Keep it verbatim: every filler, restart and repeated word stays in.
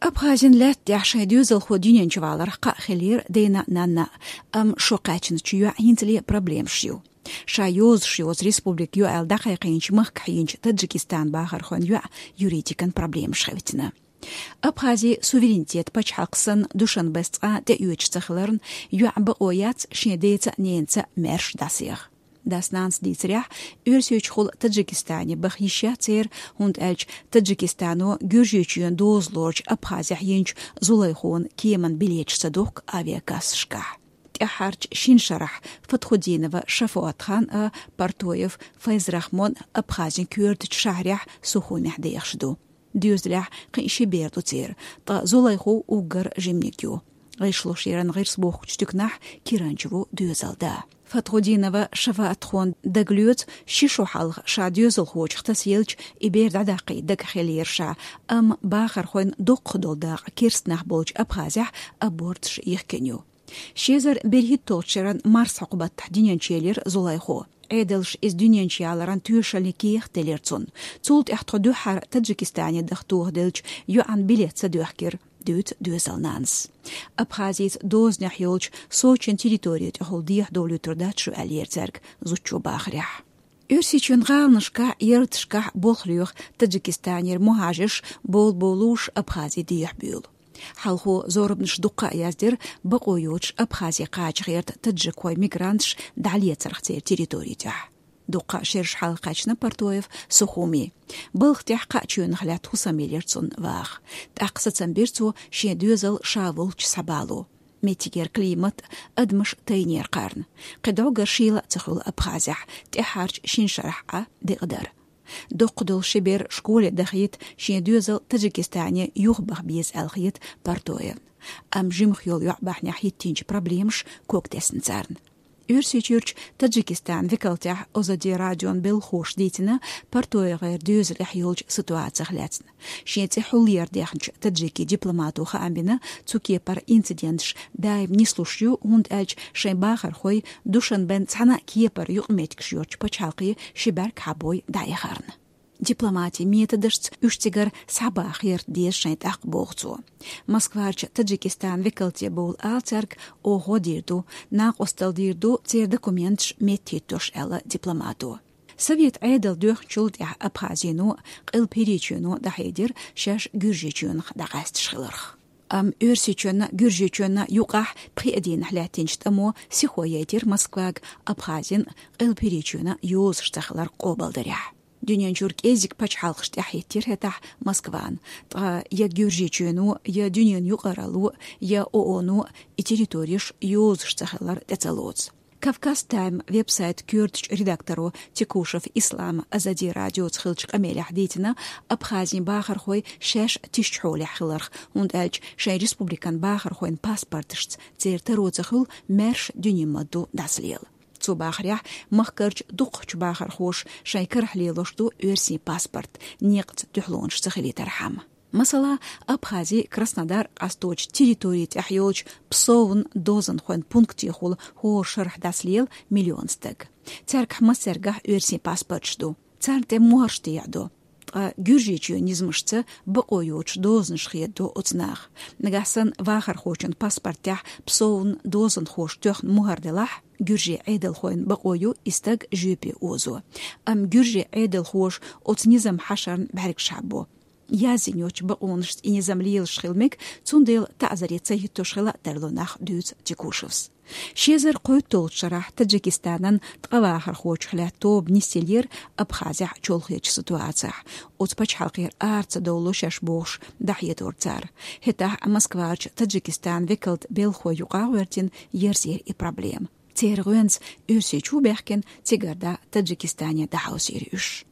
Абхазин лаьтта тӀехь шайн доьзалхо дуьнен чу валарх кхаъ хилира дена а, нанна а, амма шо кхаьчначу йоӀан хӀинцале проблемаш ю. Ша йозуш йоцу республика ю аьлла дӀакхайкхийначу махкахь йинчу Таджикистан бахархойн йоӀан юридикан проблемаш хевцина. Абхази суверенитет пачхьалкх санна Душанбес цкъа а тӀеоьцуш ца хиларна, йоӀан бакъо яц шен деца а, ненаца а маьрша дӀасаеха. Дас-нанас дийцарехь, Оьрсийчухула Таджикистане баха йиш яц церан, хӀунда аьлча Таджикистано Гуьржийчоьнан доза лоручу Абхазехь йинчу Зулайхонан кеман билеташ ца дохку авиакассашкахь. ТӀаьххьарчу шина шарахь Фатхудинова Шафаатхан а, Партоев Файзрахмон а Абхазин коьртачу шахьарехь, Сухумехь дехаш ду. Доьзалехь кхин ши бер ду церан, ткъа Зулайхо уггар жиманиг ю. ГӀишлошъяран гӀирс бохкучу туьканахь киранча ву доьзалан да. Фатхудинова Шафаатхона дагалоьцу, ши шо хьалха ша доьзалхочух тасаелча, и бер дӀадаккхий дагахь хиллера ша, амма бахархойн доккхах долу дакъа керста нах болчу Абхазехь аборташ йихкина ю. Ши эзар берхӀитталгӀачу шеран марсхьокху баттахь дуьнен чу елира Зулайхо. Ӏедалша иза дуьнен чу яларан тоьшаллин кехат делира цунна. Цул тӀаьхьа тхо дуьххьара Таджикистане даха тоха делча, йоӀан билет ца доьхкира, дуьйцу доьзалан нанас. Абхазица дозанехь йолчу Сочин территори тӀехула дехьадовлуьйтур дац шу, аьллера цаьрга зудчо бахарехь. Оьрсийчоьнан гӀаланашкахь, ярташкахь болх лоьху Таджикистанера мухӀажарш, бовла-бовлуш Абхази дехьабуьйлу. Хьалхо зорбанаш дуккха а яздира бакъо йоцуш Абхазе кхача гӀерта таджикхой мигранташ дӀалецарх церан территори тӀехь. Дуккха а шераш хьалха кхаьчна Партоев Сухуми. Балха тӀехь кхаа чоьнах лаьтта хӀусам елира цунна ваха. ТӀаккха сацам бира цо шен доьзал ша волчу схьабало. Меттигера климат а, адамаш тайнера кхарна. Кхин дӀогара шийла а ца хуьлу Абхазехь, тӀаьххьарчу шина шарахь Ӏа декъадар. Доккха долу ши бер школе дахийта шен доьзал Таджикистане юхабаха беза аьлла хета Партоевна. Амма жимах йолу йоӀ бахьанехь хӀиттийначу проблемаш ког тесна царна. Оьрсийчуьрчу Таджикистан векалтехь Озади радион белхахоша дийцина Партоевгара доьзалехь йолчу ситуацих лаьцна. Шен цӀе хьулъяр дехначу таджикийн дипломато хаам бина, цу кепара инциденташ даим нислуш ю, хӀунда аьлча шайн бахархой Душанбен цхьана а кепара юкъаметтигаш йоцчу пачхьалкхе ши бӀаьрг хьабой дӀаэхарна. Дипломатин методашца уьш цигара схьабаха гӀерта деза шайн тӀаккха, боху цо. Москварчу Таджикистан векалте бовла ала цаьрга, оха гӀо дийр ду, накъосталла дийр ду церан документаш меттахӀиттош, аьлла дипломато. Совет Ӏедал доьхначул тӀаьхьа Абхазино а, Къилба ХӀирийчоьно а дӀахьедира шаьш Гуьржийчоьнах дӀакъаьсташ хиларх. Амма Оьрсийчоьнна а, Гуьржийчоьнна а юкъахь пхи а дийнахь лаьттинчу тӀамо сихо яйтира Москвага Абхазин а, Къилба ХӀирийчоьнан а йозуш ца хилар къобалдарехь. Дуьнен чуьра кӀеззиг пачхьалкхаш тӀаьхьахӀиттира хӀетахь Москвана, ткъа я Гуьржийчоьно, я дуьненан юкъаралло, я ООНо и территореш йозуш ца хилар тӀе ца лоцу. Кавказ Тайм веб-сайт коьртачу редакторо Текушев Ислама Озади радиоца хиллачу къамелехь дийцина Абхазин бахархой шаьш тишачу хьолехь хиларх, хӀунда аьлча шайн республикан бахархойн паспорташца церан таро ца хуьлу маьрша дуьненан ма-дду дӀасалела. Цо бахарехь, махкарчу дукхахчу бахархоша шайн карахь лелош ду оьрсийн паспорт, некъаца дуьхьалонаш ца хилийтархьама. Масала, Абхази Краснодар къасточу территори тӀехь йолчу Псовн дозанхойн пунктехула хӀора шарахь дӀасалела миллион стаг. Цаьргахь массаьргахь оьрсийн паспорташ ду. Царна тӀе мухӀарш тӀеяьӀдо. Ткъа Гуьржийчоьнан низамашца бакъо йоцуш дозанаш хедадо оцу наха. Нагахь санна вахархочун паспортехь Псовн дозанхоша тоьхна мухӀар делахь, гуьржийн Ӏедалхойн бакъо ю и стаг жоьпе озо. Амма гуьржийн Ӏедалхоша оцу низам хьашарна бӀаьргаш хьаббо. Язйина йоцчу бакъонашца и низам лелаш хила мега, цундела таӀзаре ца хӀиттош хила а тарло нах, дуьйцу Текушевс. Ши эзар кхойтталгӀачу шарахь Таджикистанан ткъа вахархочух лаьтта тоба нисъеллера Абхазехь чолхечу ситуацехь. Оцу пачхьалкхера ара ца довлало шаьш бохуш, дӀахьедора цара. ХӀетахь Москварчу Таджикистан векалта белхахой юкъа а гӀоьртина, ерзийра и проблема. Церан гӀоьнца Оьрсийчу баьхкина, цигара дӀа Таджикистане дӀахьовсийра уьш.